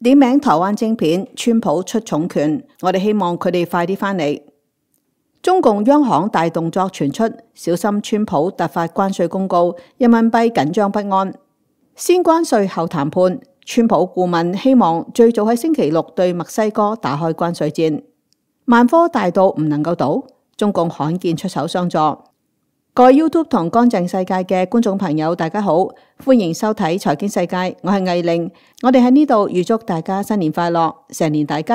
點名台灣晶片，川普出重拳，我哋希望佢哋快啲返嚟。中共央行大動作傳出，小心川普突發關稅公告，人民幣緊張不安。先關稅後談判，川普顧問希望最早喺星期六對墨西哥打開關稅戰。萬科大到唔能夠倒，中共罕見出手相助。各位 YouTube 同乾淨世界嘅觀眾朋友，大家好，歡迎收睇財經世界，我係魏玲。我哋喺呢度預祝大家新年快樂，成年大吉。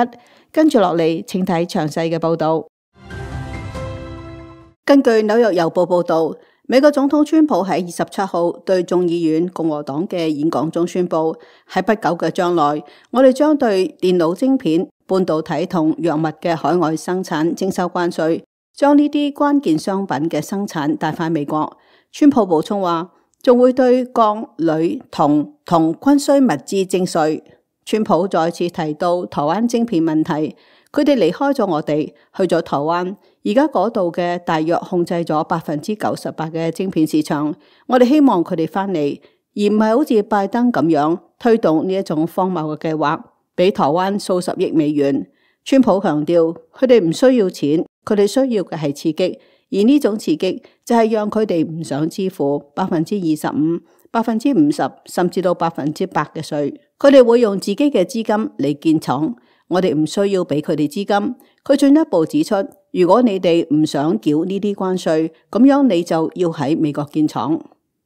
跟住落嚟，請睇詳細嘅報道。根據紐約郵報報道，美國總統川普喺27號對眾議院共和黨嘅演講中宣布，喺不久嘅將來，我哋將對電腦晶片、半導體同藥物嘅海外生產徵收關稅，將呢啲關鍵商品嘅生產帶返美國。川普補充話，仲會對鋼、鋁、銅同軍需物資徵稅。川普再次提到台灣晶片問題，佢哋離開咗我哋，去咗台灣，而家嗰度嘅大約控制咗98%嘅晶片市場。我哋希望佢哋返嚟，而唔係好似拜登咁樣推動呢一種荒謬嘅計劃，俾台灣數十億美元。川普強調，佢哋唔需要錢，佢哋需要嘅係刺激，而呢種刺激就係讓佢哋唔想支付25%、50%甚至到100%嘅稅。佢哋會用自己嘅資金嚟建廠，我哋唔需要俾佢哋資金。佢進一步指出，如果你哋唔想繳呢啲關稅，咁樣你就要喺美國建廠。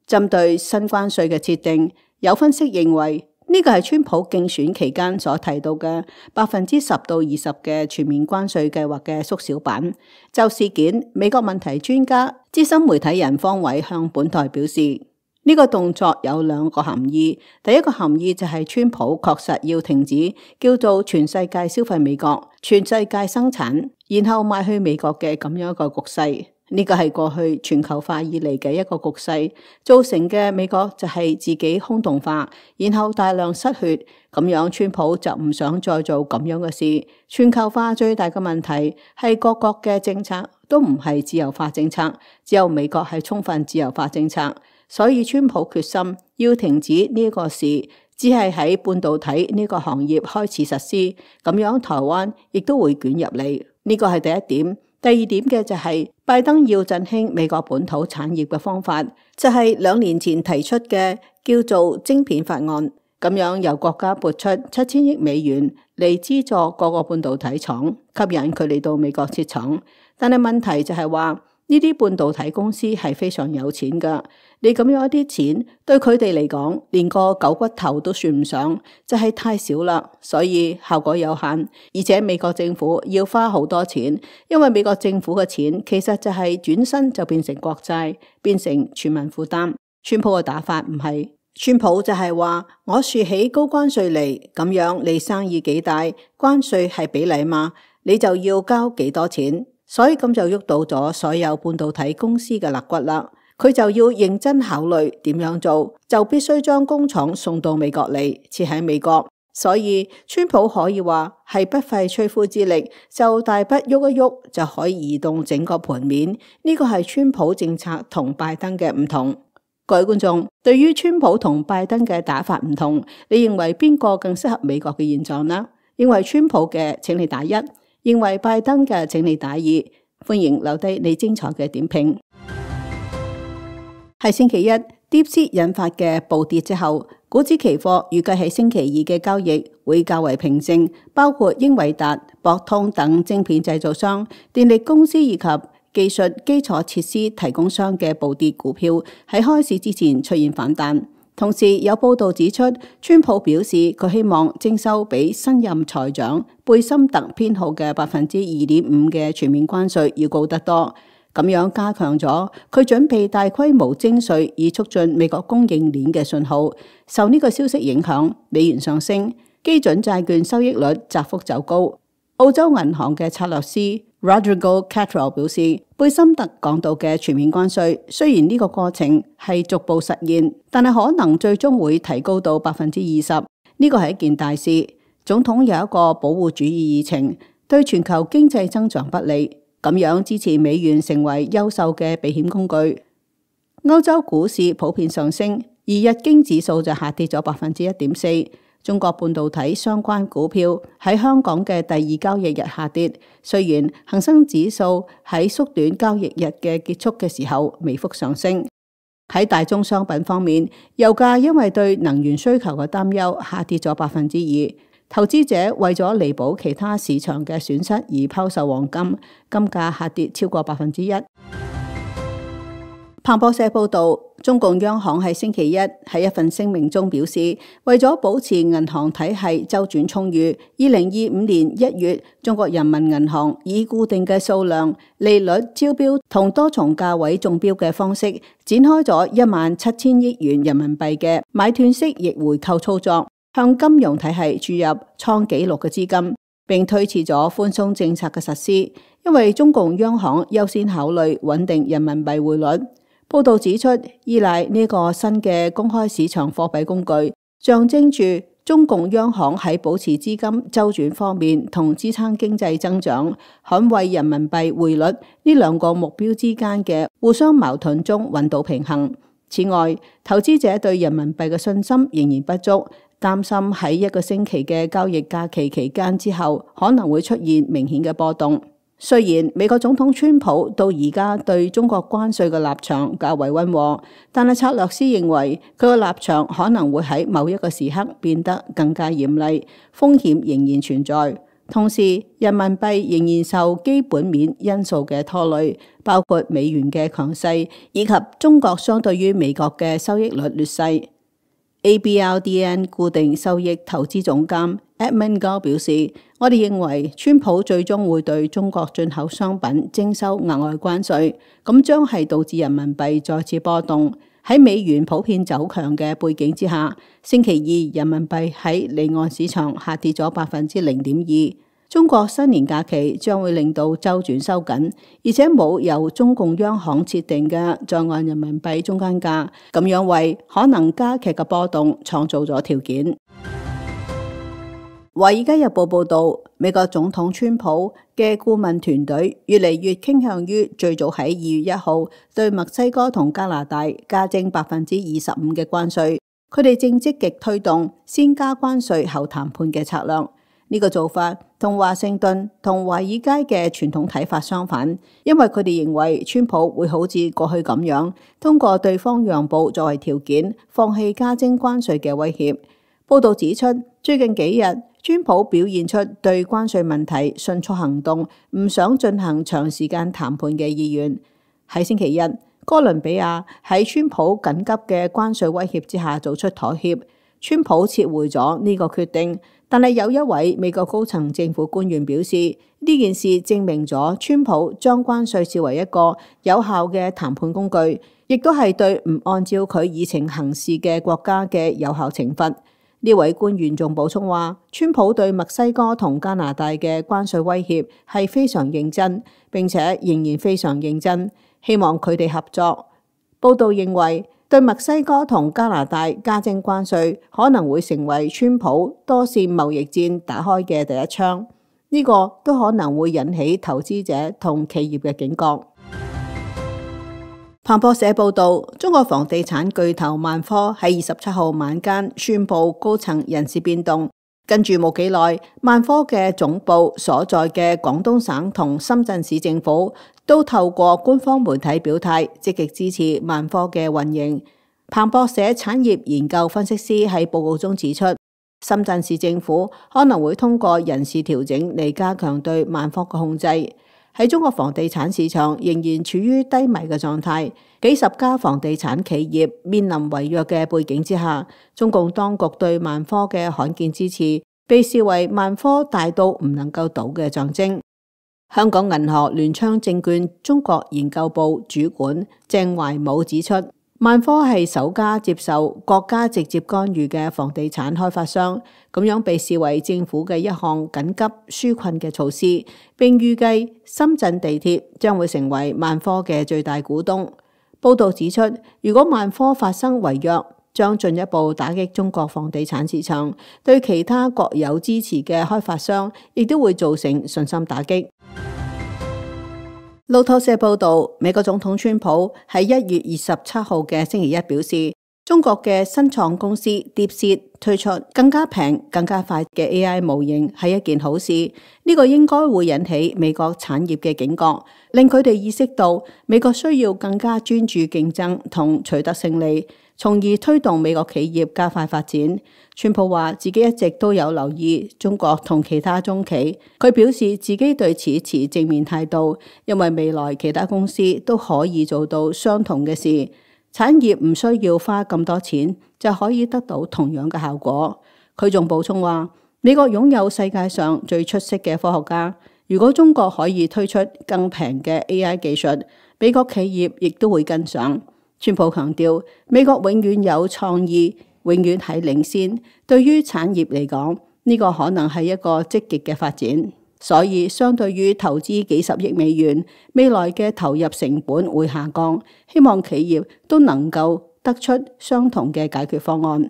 針對新關稅嘅設定，有分析認為呢個係川普競選期間所提到嘅10%到20%嘅全面關稅計劃嘅縮小版。就事件，美國問題專家、資深媒體人方偉向本台表示，呢個動作有兩個含義。第一個含義就係川普確實要停止叫做全世界消費美國、全世界生產，然後賣去美國嘅咁樣一個局勢。呢個係過去全球化以嚟嘅一個局勢，造成嘅美國就係自己空洞化，然後大量失血。咁樣川普就唔想再做咁樣嘅事。全球化最大嘅問題係各國嘅政策都唔係自由化政策，只有美國係充分自由化政策。所以川普決心要停止呢個事，只係喺半導體呢個行業開始實施，咁樣台灣亦都會捲入嚟。呢個係第一點。第二點嘅就係拜登要振興美國本土產業嘅方法，就係2年前提出嘅叫做晶片法案，咁樣由國家撥出7000億美元嚟資助各個半導體廠，吸引佢哋到美國設廠。但係問題就係話，呢啲半導體公司係非常有錢㗎，你咁樣一啲錢對佢哋嚟講，連個狗骨頭都算唔上，就係太少啦，所以效果有限。而且美國政府要花好多錢，因為美國政府嘅錢其實就係轉身就變成國債，變成全民負擔。川普嘅打法唔係，川普就係話我豎起高關稅嚟，咁樣你生意幾大，關稅係比例嘛，你就要交幾多錢。所以咁就喐到咗所有半導體公司嘅肋骨啦，佢就要認真考慮點樣做，就必須將工廠送到美國嚟，設喺美國。所以川普可以話係不費吹灰之力，就大筆喐一喐就可以移動整個盤面。呢個係川普政策同拜登嘅唔同。各位觀眾，對於川普同拜登嘅打法唔同，你認為邊個更適合美國嘅現狀呢？認為川普嘅，請你打1。認為拜登嘅，請你打2。歡迎留低你精彩嘅點評。喺星期一，DeepSeek 引發嘅暴跌之後，股指期貨預計喺星期二嘅交易會較為平靜，包括英偉達、博通等晶片製造商、電力公司以及技術基礎設施提供商嘅暴跌股票喺開市之前出現反彈。同時有報道指出，川普表示佢希望徵收比新任財長貝森特編號嘅2.5%嘅全面關稅要高得多，咁樣加強咗佢準備大規模徵稅以促進美國供應鏈嘅信號。受呢個消息影響，美元上升，基準債券收益率窄幅走高。澳洲銀行嘅策略師 Rodrigo Catrell 表示，貝森特講到嘅全面關稅，雖然呢個過程係逐步實現，但係可能最終會提高到20%。呢個係一件大事。總統有一個保護主義議程，對全球經濟增長不利，咁樣支持美元成為優秀嘅避險工具。歐洲股市普遍上升，而日經指數就下跌咗1.4%。中國半導體相關股票喺香港嘅第二交易日下跌，雖然恒生指數喺縮短交易日嘅結束嘅時候微幅上升。喺大宗商品方面，油價因為對能源需求嘅擔憂下跌咗2%，投資者為咗彌補其他市場嘅損失而拋售黃金，金價下跌超過1%。彭博社報道，中共央行喺星期一喺一份聲明中表示，為咗保持銀行體系周轉充裕，2025年1月，中國人民銀行以固定嘅數量、利率、招標同多重價位中標嘅方式，展開咗17000億元人民幣嘅買斷式逆回購操作，向金融體系注入創紀錄嘅資金，並推遲咗寬鬆政策嘅實施，因為中共央行優先考慮穩定人民幣匯率。報道指出，依賴呢個新嘅公開市場貨幣工具，象徵住中共央行喺保持資金周轉方面同支撐經濟增長、捍衛人民幣匯率呢兩個目標之間嘅互相矛盾中揾到平衡。此外，投資者對人民幣嘅信心仍然不足，擔心喺一個星期嘅交易假期期間之後，可能會出現明顯嘅波動。雖然美國總統川普到而家對中國關稅嘅立場較為溫和，但係策略師認為佢嘅立場可能會喺某一個時刻變得更加嚴厲，風險仍然存在。同時，人民幣仍然受基本面因素嘅拖累，包括美元嘅強勢以及中國相對於美國嘅收益率劣勢。ABRDN 固定收益投資總監 Edmund Gao 表示，我哋認為川普最終會對中國進口商品徵收額外關稅，咁將係導致人民幣再次波動。喺美元普遍走強嘅背景之下，星期二人民幣喺離岸市場下跌咗0.2%。中國新年假期將會令到周轉收緊，而且冇由中共央行設定嘅在岸人民幣中間價，咁樣為可能加劇嘅波動創造咗條件。華爾街日報報道，美國總統川普嘅顧問團隊越嚟越傾向於最早喺2月1號對墨西哥同加拿大加徵25%嘅關稅，佢哋正積極推動先加關稅後談判嘅策略。呢個做法同華盛頓同華爾街嘅傳統睇法相反，因為佢哋認為川普會好似過去咁樣，通過對方讓步作為條件，放棄加徵關稅嘅威脅。報道指出，最近幾日，川普表現出對關稅問題迅速行動，唔想進行長時間談判嘅意願。喺星期一，哥倫比亞喺川普緊急嘅關稅威脅之下做出妥協，川普撤回咗呢個決定。但係有一位美國高層政府官員表示，呢件事證明咗川普將關稅視為一個有效嘅談判工具，亦都係對唔按照佢議程行事嘅國家嘅有效懲罰。呢位官員仲補充話，川普對墨西哥同加拿大嘅關稅威脅係非常認真，並且仍然非常認真，希望佢哋合作。報道認為，對墨西哥同加拿大加徵關稅可能會成為川普多線貿易戰打開嘅第一槍，呢個都可能會引起投資者同企業嘅警覺。彭博社報道，中國房地產巨頭萬科喺27號晚間宣布高層人事變動，跟住冇幾耐，萬科嘅總部所在嘅廣東省同深圳市政府都透過官方媒體表態，積極支持萬科嘅運營。彭博社產業研究分析師喺報告中指出，深圳市政府可能會通過人事調整嚟加強對萬科嘅控制。喺中國房地產市場仍然處於低迷嘅狀態，幾十家房地產企業面臨違約嘅背景之下，中共當局對萬科嘅罕見支持，被視為萬科大到唔能夠倒嘅象徵。香港銀河聯昌證券中國研究部主管鄭懷武指出，萬科係首家接受國家直接干預嘅房地產開發商，咁樣被視為政府嘅一項緊急紓困嘅措施，並預計深圳地鐵將會成為萬科嘅最大股東。報道指出，如果萬科發生違約，將進一步打擊中國房地產市場，對其他國有支持嘅開發商亦都會造成信心打擊。路透社報道，美國總統川普喺1月27號嘅星期一表示，中國嘅新創公司 DeepSeek 推出更加平、更加快嘅 AI 模型係一件好事，呢個應該會引起美國產業嘅警覺，令佢哋意識到美國需要更加專注競爭同取得勝利，從而推動美國企業加快發展。川普話自己一直都有留意中國同其他中企，佢表示自己對此持正面態度，因為未來其他公司都可以做到相同嘅事。產業唔需要花咁多錢就可以得到同樣嘅效果。佢仲補充話，美國擁有世界上最出色嘅科學家，如果中國可以推出更平嘅 AI 技術，美國企業亦都會跟上。川普強調，美國永遠有創意，永遠係領先。對於產業嚟講，呢個可能係一個積極嘅發展。所以相對於投資幾十億美元，未來嘅投入成本會下降，希望企業都能夠得出相同嘅解決方案。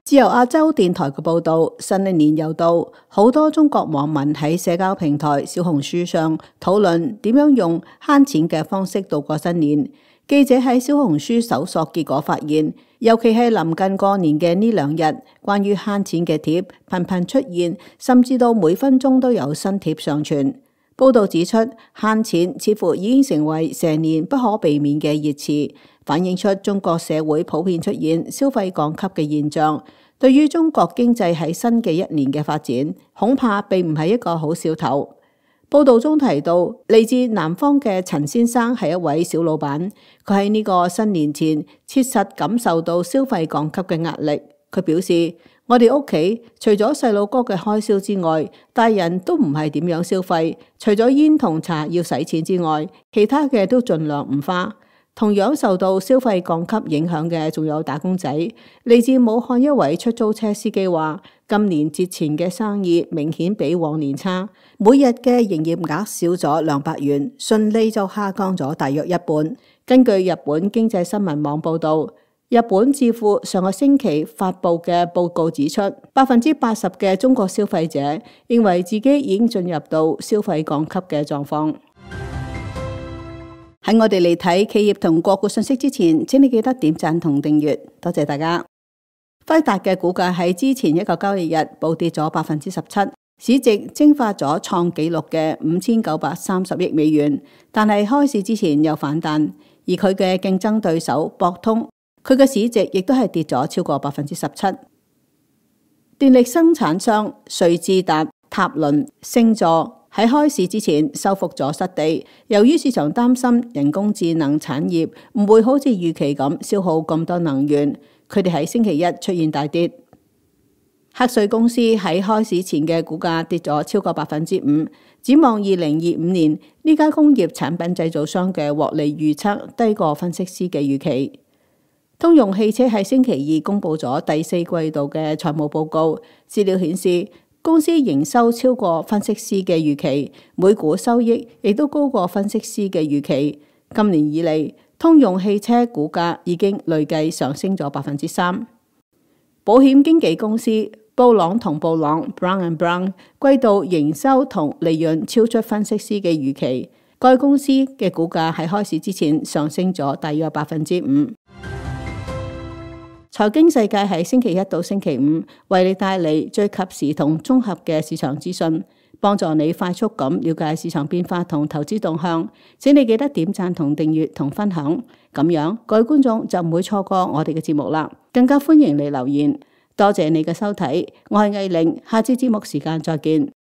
自由亞洲電台嘅報道，新一年又到，好多中國網民喺社交平台小紅書上討論點樣用慳錢嘅方式度過新年。記者喺小紅書搜索結果發現，尤其係臨近過年嘅呢2日，關於慳錢嘅貼頻頻出現，甚至到每分鐘都有新貼上傳。報道指出，慳錢似乎已經成為成年不可避免嘅熱詞，反映出中國社會普遍出現消費降級嘅現象。對於中國經濟喺新嘅一年嘅發展，恐怕並唔係一個好兆頭。報道中提到，嚟自南方嘅陳先生係一位小老闆，佢喺呢個新年前切實感受到消費降級嘅壓力。佢表示，我哋屋企除咗細佬哥嘅開銷之外，大人都唔係點樣消費，除咗煙同茶要使錢之外，其他嘅都盡量唔花。同樣受到消費降級影響嘅仲有打工仔。嚟自武漢一位出租車司機話，今年節前嘅生意明顯比往年差，每日嘅營業額少咗200元，純利就下降咗大約一半。根據日本經濟新聞網報道，日本智庫上個星期發佈嘅報告指出，80%嘅中國消費者認為自己已經進入到消費降級嘅狀況。喺我哋嚟睇企業同個股信息之前，請你記得點讚同訂閱，多謝大家。輝達嘅股價喺之前一個交易日暴跌咗17%，市值蒸發咗創紀錄嘅5930億美元，但係開市之前又反彈。而佢嘅競爭對手博通，佢嘅市值亦都係跌咗超過17%。電力生產商瑞智達、塔倫、星座喺開市之前收復咗失地，由於市場擔心人工智能產業唔會好似預期咁消耗咁多能源，佢哋喺星期一出現大跌。赫瑞公司喺開市前嘅股價跌咗超過5%，展望2025年，呢家工業產品製造商嘅獲利預測低過分析師嘅預期。通用汽車喺星期二公布咗第4季度嘅財務報告，資料顯示，公司營收超過分析師嘅預期，每股收益亦都高過分析師嘅預期。今年以嚟，通用汽車股價已經累計上升咗3%。保險經紀公司布朗同布朗 （Brown and Brown） 季度營收同利潤超出分析師嘅預期，該公司嘅股價喺開市之前上升咗大約5%。財經世界喺星期一到星期五為你帶嚟最及時同綜合嘅市場資訊，幫助你快速咁了解市場變化同投資動向。請你記得點讚同訂閱同分享，咁樣各位觀眾就唔會錯過我哋嘅節目啦。更加歡迎你留言。多謝你嘅收睇，我係藝玲，下次節目時間再見。